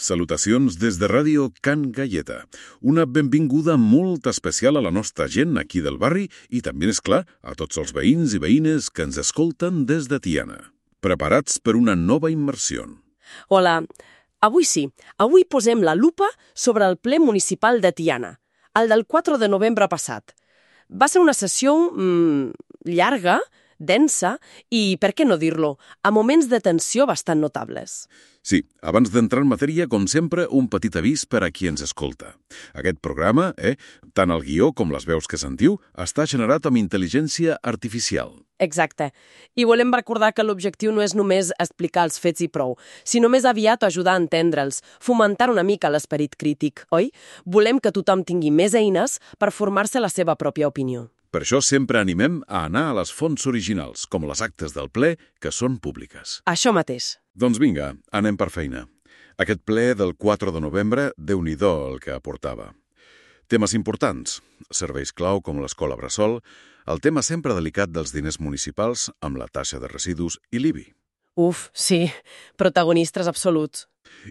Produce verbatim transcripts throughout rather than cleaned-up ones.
Salutacions des de Ràdio Can Galleta. Una benvinguda molt especial a la nostra gent aquí del barri i també, és clar, a tots els veïns i veïnes que ens escolten des de Tiana. Preparats per una nova immersió. Hola, avui sí. Avui posem la lupa sobre el ple municipal de Tiana, el del quatre de novembre passat. Va ser una sessió mmm, llarga, densa i, per què no dir-lo, a moments de tensió bastant notables. Sí, abans d'entrar en matèria, com sempre, un petit avís per a qui ens escolta. Aquest programa, eh, tant el guió com les veus que sentiu, està generat amb intel·ligència artificial. Exacte. I volem recordar que l'objectiu no és només explicar els fets i prou, sinó més aviat ajudar a entendre'ls, fomentar una mica l'esperit crític, oi? Volem que tothom tingui més eines per formar-se la seva pròpia opinió. Per això sempre animem a anar a les fonts originals, com les actes del ple, que són públiques. Això mateix. Doncs vinga, anem per feina. Aquest ple del quatre de novembre, Déu-n'hi-do el que aportava. Temes importants, serveis clau com l'escola Bressol, el tema sempre delicat dels diners municipals amb la taxa de residus i l'I B I. Uf, sí, protagonistes absoluts.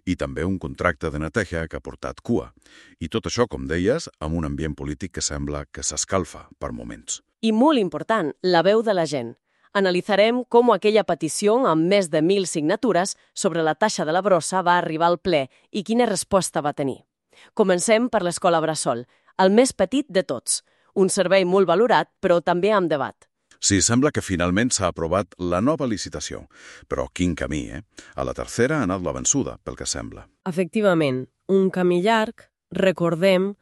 I també un contracte de neteja que ha portat cua. I tot això, com deies, amb un ambient polític que sembla que s'escalfa per moments. I molt important, la veu de la gent. Analitzarem com aquella petició amb més de mil signatures sobre la taxa de la brossa va arribar al ple i quina resposta va tenir. Comencem per l'escola Bressol, el més petit de tots. Un servei molt valorat, però també amb debat. Sí, sembla que finalment s'ha aprovat la nova licitació. Però quin camí, eh? A la tercera ha anat la vençuda, pel que sembla. Efectivament, un camí llarg. Recordem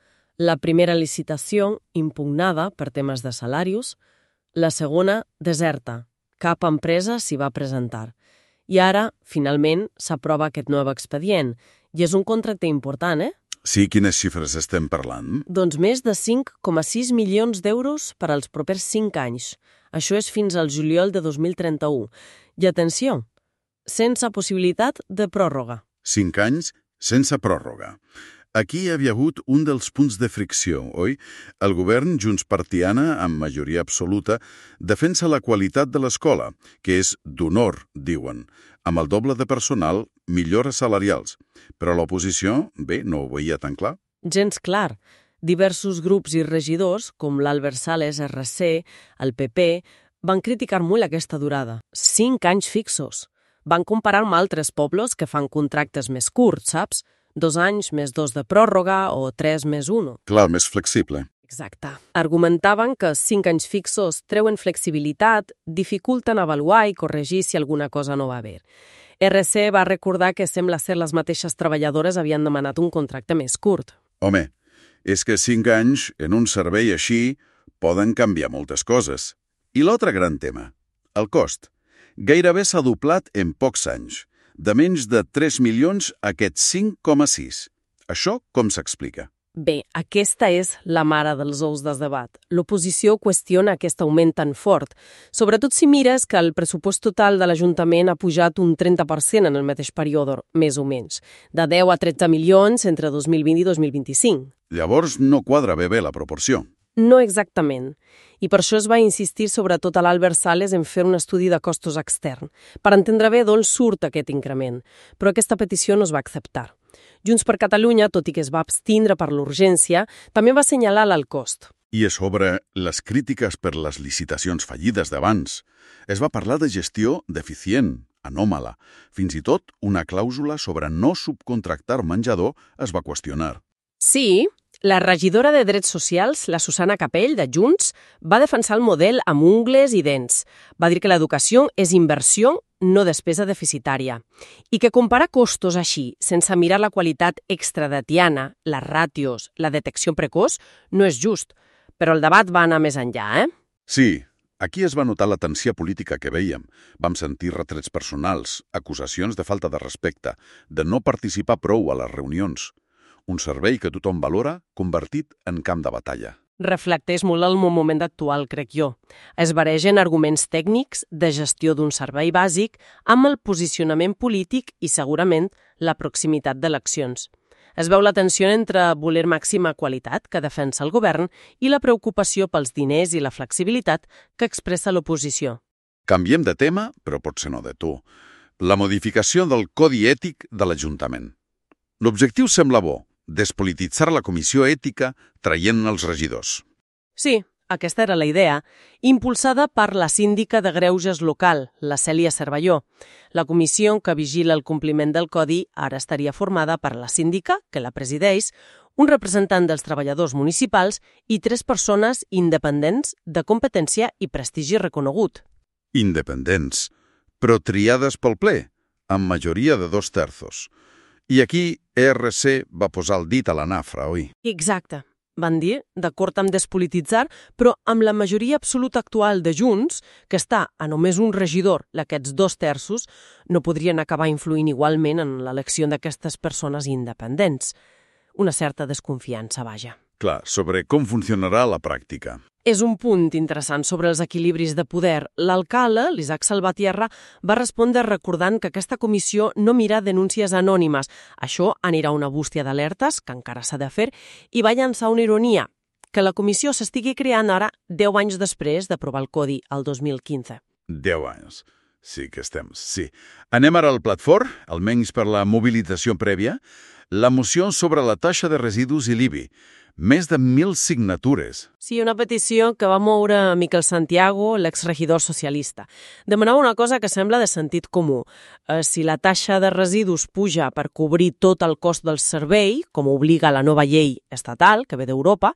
la primera licitació impugnada per temes de salarius, la segona deserta. Cap empresa s'hi va presentar. I ara, finalment, s'aprova aquest nou expedient. I és un contracte important, eh? Sí, quines xifres estem parlant? Doncs més de cinc coma sis milions d'euros per als propers cinc anys. Això és fins al juliol de dos mil trenta-u. I atenció, sense possibilitat de pròrroga. Cinc anys sense pròrroga. Aquí hi havia hagut un dels punts de fricció, oi? El govern, Junts per Tiana, amb majoria absoluta, defensa la qualitat de l'escola, que és d'honor, diuen. Amb el doble de personal, millores salarials. Però l'oposició, bé, no ho veia tan clar. Gens clar. Diversos grups i regidors, com l'Albert Sales, R C, el P P, van criticar molt aquesta durada. Cinc anys fixos. Van comparar amb altres pobles que fan contractes més curts, saps? Dos anys més dos de pròrroga o tres més un. Clar, més flexible. Exacte. Argumentaven que cinc anys fixos treuen flexibilitat, dificulten avaluar i corregir si alguna cosa no va bé. R C va recordar que sembla ser les mateixes treballadores havien demanat un contracte més curt. Home, és que cinc anys en un servei així poden canviar moltes coses. I l'altre gran tema, el cost. Gairebé s'ha doblat en pocs anys. De menys de tres milions a aquests cinc coma sis. Això com s'explica? Bé, aquesta és la mare dels ous del debat. L'oposició qüestiona aquest augment tan fort, sobretot si mires que el pressupost total de l'Ajuntament ha pujat un trenta per cent en el mateix període, més o menys, de deu a tretze milions entre dos mil vint i dos mil vint-i-cinc. Llavors no quadra bé bé la proporció. No exactament. I per això es va insistir sobretot a l'Albert Sales en fer un estudi de costos extern, per entendre bé d'on surt aquest increment, però aquesta petició no es va acceptar. Junts per Catalunya, tot i que es va abstindre per l'urgència, també va assenyalar l'alt cost. I a sobre, les crítiques per les licitacions fallides d'abans. Es va parlar de gestió deficient, anòmala. Fins i tot una clàusula sobre no subcontractar menjador es va qüestionar. Sí, la regidora de Drets Socials, la Susana Capell, de Junts, va defensar el model amb ungles i dents. Va dir que l'educació és inversió, no despesa deficitària. I que comparar costos així, sense mirar la qualitat extra de Tiana, les ràtios, la detecció precoç, no és just. Però el debat va anar més enllà, eh? Sí, aquí es va notar la tensió política que vèiem. Vam sentir retrets personals, acusacions de falta de respecte, de no participar prou a les reunions. Un servei que tothom valora, convertit en camp de batalla. Reflecteix molt el moment actual, crec jo. Es baregen arguments tècnics de gestió d'un servei bàsic amb el posicionament polític i, segurament, la proximitat d'eleccions. Es veu la tensió entre voler màxima qualitat, que defensa el govern, i la preocupació pels diners i la flexibilitat que expressa l'oposició. Canviem de tema, però potser no de tu. La modificació del Codi Ètic de l'Ajuntament. L'objectiu sembla bo, despolititzar la comissió ètica traient els regidors. Sí, aquesta era la idea, impulsada per la síndica de greuges local, la Cèlia Cervelló. La comissió que vigila el compliment del codi ara estaria formada per la síndica, que la presideix, un representant dels treballadors municipals i tres persones independents de competència i prestigi reconegut. Independents, però triades pel ple, amb majoria de dos terços. I aquí E R C va posar el dit a la nafra, oi? Exacte. Van dir, d'acord amb despolititzar, però amb la majoria absoluta actual de Junts, que està a només un regidor, aquests dos terços, no podrien acabar influint igualment en l'elecció d'aquestes persones independents. Una certa desconfiança, vaja. Clar, sobre com funcionarà la pràctica. És un punt interessant sobre els equilibris de poder. L'alcalde, l'Isaac Salvatierra, va respondre recordant que aquesta comissió no mira denúncies anònimes. Això anirà una bústia d'alertes, que encara s'ha de fer, i va llançar una ironia, que la comissió s'estigui creant ara deu anys després d'aprovar el codi, el dos mil quinze. Deu anys. Sí que estem, sí. Anem ara al plat fort, almenys per la mobilització prèvia, la moció sobre la taxa de residus i l'I B I. Més de mil signatures. Sí, una petició que va moure Miquel Santiago, l'exregidor socialista. Demanava una cosa que sembla de sentit comú. Eh, si la taxa de residus puja per cobrir tot el cost del servei, com obliga la nova llei estatal, que ve d'Europa,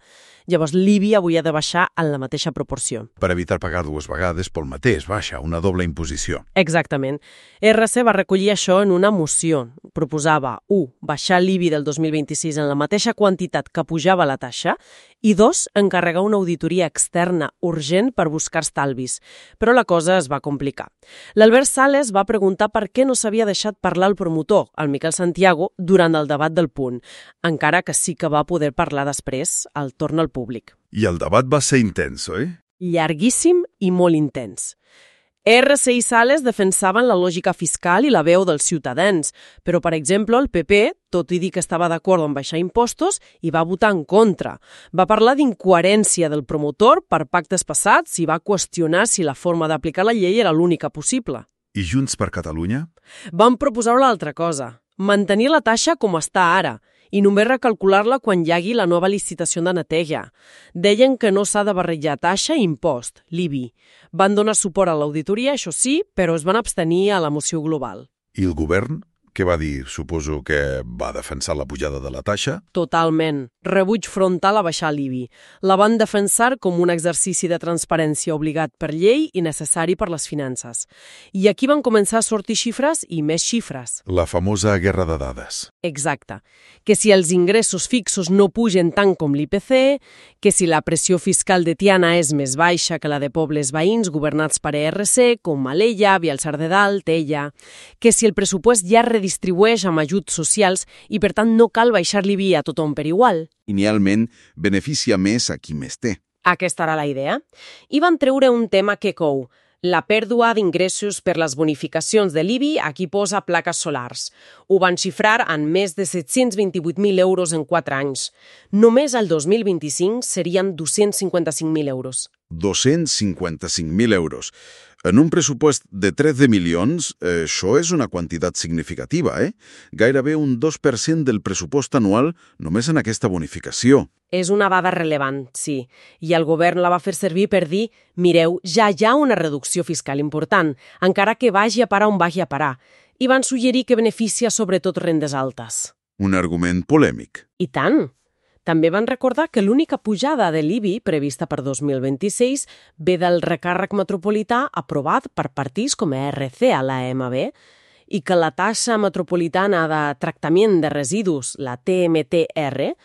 llavors l'I B I avui ha de baixar en la mateixa proporció. Per evitar pagar dues vegades pel mateix, baixa, una doble imposició. Exactament. R C va recollir això en una moció. Proposava, u, baixar l'I B I del dos mil vint-i-sis en la mateixa quantitat que pujava la taxa, i dos, encarregar una auditoria externa urgent per buscar estalvis. Però la cosa es va complicar. L'Albert Sales va preguntar per què no s'havia deixat parlar el promotor, el Miquel Santiago, durant el debat del punt, encara que sí que va poder parlar després, al torn al públic. I el debat va ser intens, oi? Llarguíssim i molt intens. R C i Sales defensaven la lògica fiscal i la veu dels ciutadans, però, per exemple, el P P, tot i dir que estava d'acord en baixar impostos, hi va votar en contra. Va parlar d'incoherència del promotor per pactes passats i va qüestionar si la forma d'aplicar la llei era l'única possible. I Junts per Catalunya? Van proposar una altra cosa, mantenir la taxa com està ara, i només recalcular-la quan hi hagi la nova licitació de neteja. Deien que no s'ha de barrejar taxa i impost, l'I B I. Van donar suport a l'auditoria, això sí, però es van abstenir a la moció global. I el govern? Què va dir? Suposo que va defensar la pujada de la taxa? Totalment. Rebuig frontal a baixar l'I B I. La van defensar com un exercici de transparència obligat per llei i necessari per les finances. I aquí van començar a sortir xifres i més xifres. La famosa guerra de dades. Exacte. Que si els ingressos fixos no pugen tant com l'I P C, que si la pressió fiscal de Tiana és més baixa que la de pobles veïns governats per E R C, com Alella, Vialsar de Dalt, Tella, que si el pressupost ja redistribueix amb ajuts socials i, per tant, no cal baixar l'I B I a tothom per igual. Idealment, beneficia més a qui més té. Aquesta era la idea. I van treure un tema que cou, la pèrdua d'ingressos per les bonificacions de l'I B I a qui posa plaques solars. Ho van xifrar en més de set-cents vint-i-vuit mil euros en quatre anys. Només el dos mil vint-i-cinc serien dos-cents cinquanta-cinc mil euros. dos-cents cinquanta-cinc mil euros. En un pressupost de tretze milions, eh, això és una quantitat significativa, eh? Gairebé un dos per cent del pressupost anual només en aquesta bonificació. És una dada rellevant, sí, i el govern la va fer servir per dir mireu, ja hi ha una reducció fiscal important, encara que vagi a parar on vagi a parar, i van suggerir que beneficia sobretot rendes altes. Un argument polèmic. I tant! També van recordar que l'única pujada de l'I B I prevista per dos mil vint-i-sis ve del recàrrec metropolità aprovat per partits com E R C a l'A M B i que la taxa metropolitana de tractament de residus, la T M T R,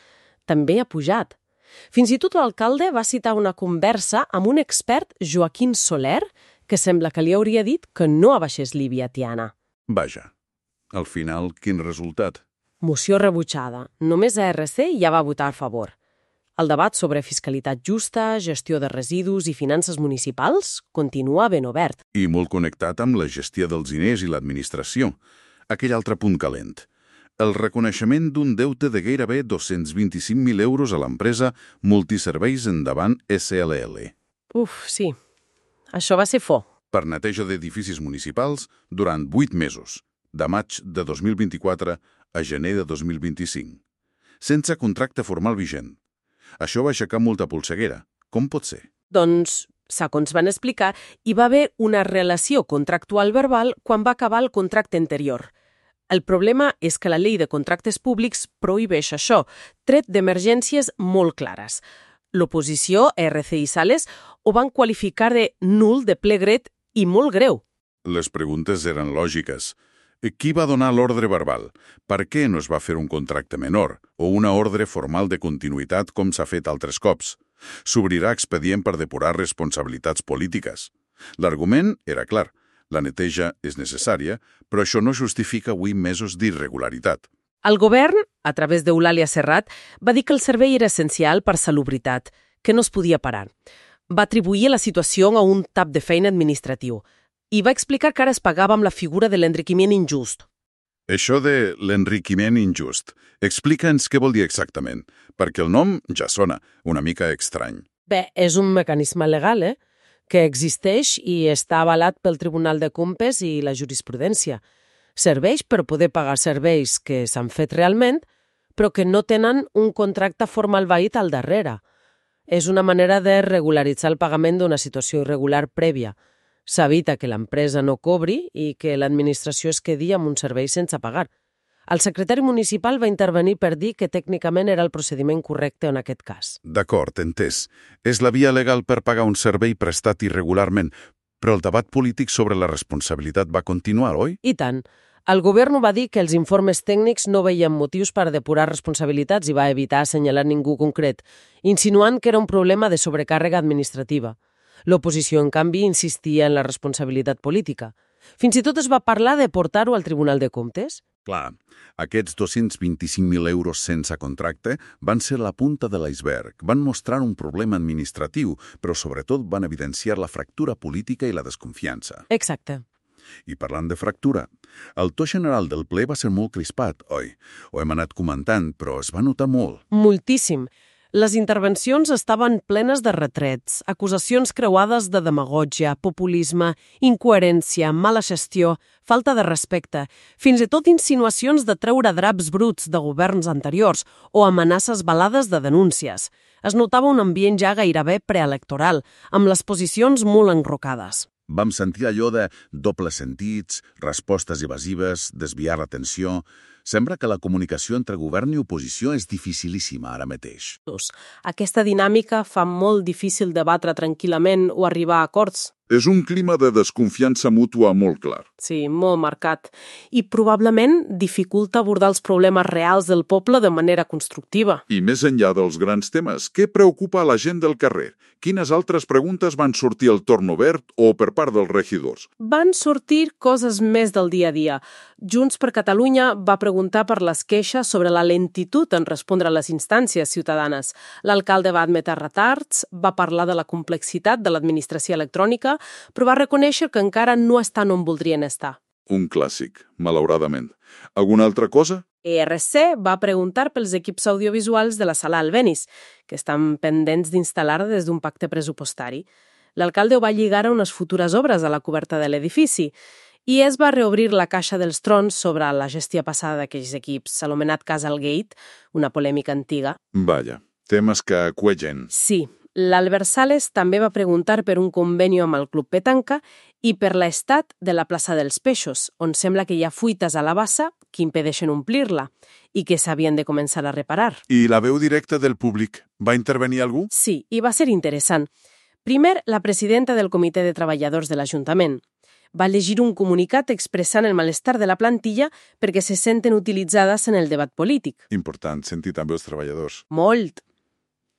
també ha pujat. Fins i tot l'alcalde va citar una conversa amb un expert, Joaquín Soler, que sembla que li hauria dit que no abaixés l'I B I a Tiana. Vaja, al final, quin resultat? Moció rebutjada. Només A R C ja va votar a favor. El debat sobre fiscalitat justa, gestió de residus i finances municipals continua ben obert. I molt connectat amb la gestió dels diners i l'administració. Aquell altre punt calent. El reconeixement d'un deute de gairebé dos-cents vint-i-cinc mil euros a l'empresa Multiserveis Endavant S L L. Uf, sí. Això va ser fo. Per neteja d'edificis municipals durant vuit mesos. de maig de dos mil vint-i-quatre a gener de dos mil vint-i-cinc, sense contracte formal vigent. Això va aixecar molta polseguera. Com pot ser? Doncs, segons van explicar, hi va haver una relació contractual verbal quan va acabar el contracte anterior. El problema és que la llei de contractes públics prohibeix això, tret d'emergències molt clares. L'oposició, R C i Sales, ho van qualificar de nul, de ple dret i molt greu. Les preguntes eren lògiques. Qui va donar l'ordre verbal? Per què no es va fer un contracte menor o una ordre formal de continuïtat com s'ha fet altres cops? S'obrirà expedient per depurar responsabilitats polítiques. L'argument era clar. La neteja és necessària, però això no justifica vuit mesos d'irregularitat. El govern, a través d'Eulàlia Serrat, va dir que el servei era essencial per salubritat, que no es podia parar. Va atribuir la situació a un tap de feina administratiu i va explicar que ara es pagava amb la figura de l'enriquiment injust. Això de l'enriquiment injust, explica'ns què vol dir exactament, perquè el nom ja sona una mica estrany. Bé, és un mecanisme legal, eh?, que existeix i està avalat pel Tribunal de Comptes i la jurisprudència. Serveix per poder pagar serveis que s'han fet realment, però que no tenen un contracte formal vàlid al darrere. És una manera de regularitzar el pagament d'una situació irregular prèvia. S'evita que l'empresa no cobri i que l'administració es quedi amb un servei sense pagar. El secretari municipal va intervenir per dir que tècnicament era el procediment correcte en aquest cas. D'acord, entès. És la via legal per pagar un servei prestat irregularment, però el debat polític sobre la responsabilitat va continuar, oi? I tant. El govern va dir que els informes tècnics no veien motius per depurar responsabilitats i va evitar assenyalar ningú concret, insinuant que era un problema de sobrecàrrega administrativa. L'oposició, en canvi, insistia en la responsabilitat política. Fins i tot es va parlar de portar-ho al Tribunal de Comptes. Clar, aquests dos-cents vint-i-cinc mil euros sense contracte van ser la punta de l'iceberg, van mostrar un problema administratiu, però sobretot van evidenciar la fractura política i la desconfiança. Exacte. I parlant de fractura, el to general del ple va ser molt crispat, oi? Ho hem anat comentant, però es va notar molt. Moltíssim. Les intervencions estaven plenes de retrets, acusacions creuades de demagògia, populisme, incoherència, mala gestió, falta de respecte, fins i tot insinuacions de treure draps bruts de governs anteriors o amenaces velades de denúncies. Es notava un ambient ja gairebé preelectoral, amb les posicions molt enrocades. Vam sentir allò de dobles sentits, respostes evasives, desviar l'atenció. Sembla que la comunicació entre govern i oposició és dificilíssima ara mateix. Aquesta dinàmica fa molt difícil debatre tranquil·lament o arribar a acords. És un clima de desconfiança mútua molt clar. Sí, molt marcat. I probablement dificulta abordar els problemes reals del poble de manera constructiva. I més enllà dels grans temes, què preocupa a la gent del carrer? Quines altres preguntes van sortir al torn obert o per part dels regidors? Van sortir coses més del dia a dia. Junts per Catalunya va preguntar per les queixes sobre la lentitud en respondre a les instàncies ciutadanes. L'alcalde va admetre retards, va parlar de la complexitat de l'administració electrònica, però va reconèixer que encara no estan on voldrien estar. Un clàssic, malauradament. Alguna altra cosa? E R C va preguntar pels equips audiovisuals de la sala Albéniz, que estan pendents d'instal·lar des d'un pacte pressupostari. L'alcalde ho va lligar a unes futures obres a la coberta de l'edifici i es va reobrir la caixa dels trons sobre la gestió passada d'aquells equips, anomenat Casalgate, una polèmica antiga. Vaja, temes que cuegen. Sí. L'Albert Sales també va preguntar per un conveni amb el Club Petanca i per l'estat de la plaça dels Peixos, on sembla que hi ha fuites a la bassa que impedeixen omplir-la i que s'havien de començar a reparar. I la veu directa del públic? Va intervenir algú? Sí, i va ser interessant. Primer, la presidenta del Comitè de Treballadors de l'Ajuntament va llegir un comunicat expressant el malestar de la plantilla perquè se senten utilitzades en el debat polític. Important, sentir també els treballadors. Molt.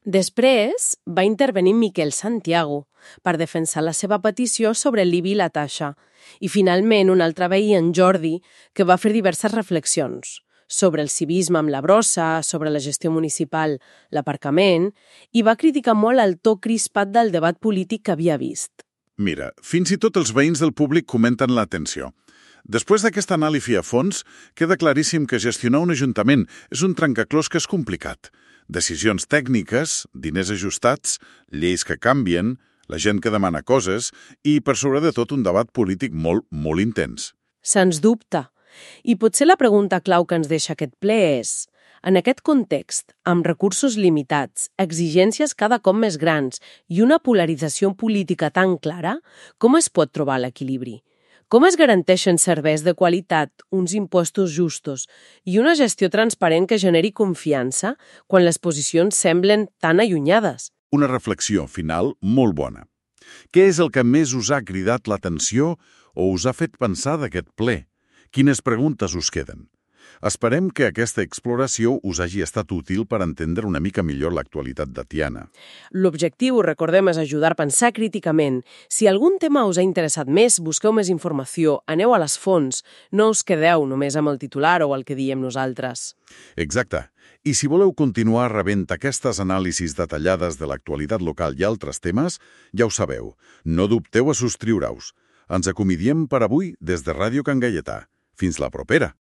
Després va intervenir Miquel Santiago per defensar la seva petició sobre l'I B I i la taxa i finalment un altre veí, en Jordi, que va fer diverses reflexions sobre el civisme amb la brossa, sobre la gestió municipal, l'aparcament, i va criticar molt el to crispat del debat polític que havia vist. Mira, fins i tot els veïns del públic comenten la tensió. Després d'aquesta anàlisi a fons, queda claríssim que gestionar un ajuntament és un trencaclós que és complicat. Decisions tècniques, diners ajustats, lleis que canvien, la gent que demana coses i, per sobre de tot, un debat polític molt, molt intens. Sens dubte. I potser la pregunta clau que ens deixa aquest ple és: en aquest context, amb recursos limitats, exigències cada cop més grans i una polarització política tan clara, com es pot trobar l'equilibri? Com es garanteixen serveis de qualitat, uns impostos justos i una gestió transparent que generi confiança quan les posicions semblen tan allunyades? Una reflexió final molt bona. Què és el que més us ha cridat l'atenció o us ha fet pensar d'aquest ple? Quines preguntes us queden? Esperem que aquesta exploració us hagi estat útil per entendre una mica millor l'actualitat de Tiana. L'objectiu, recordem, és ajudar a pensar críticament. Si algun tema us ha interessat més, busqueu més informació, aneu a les fonts, no us quedeu només amb el titular o el que diem nosaltres. Exacte. I si voleu continuar rebent aquestes anàlisis detallades de l'actualitat local i altres temes, ja ho sabeu, no dubteu a subscriure-us. Ens acomidiem per avui des de Ràdio Can Gaietà. Fins la propera!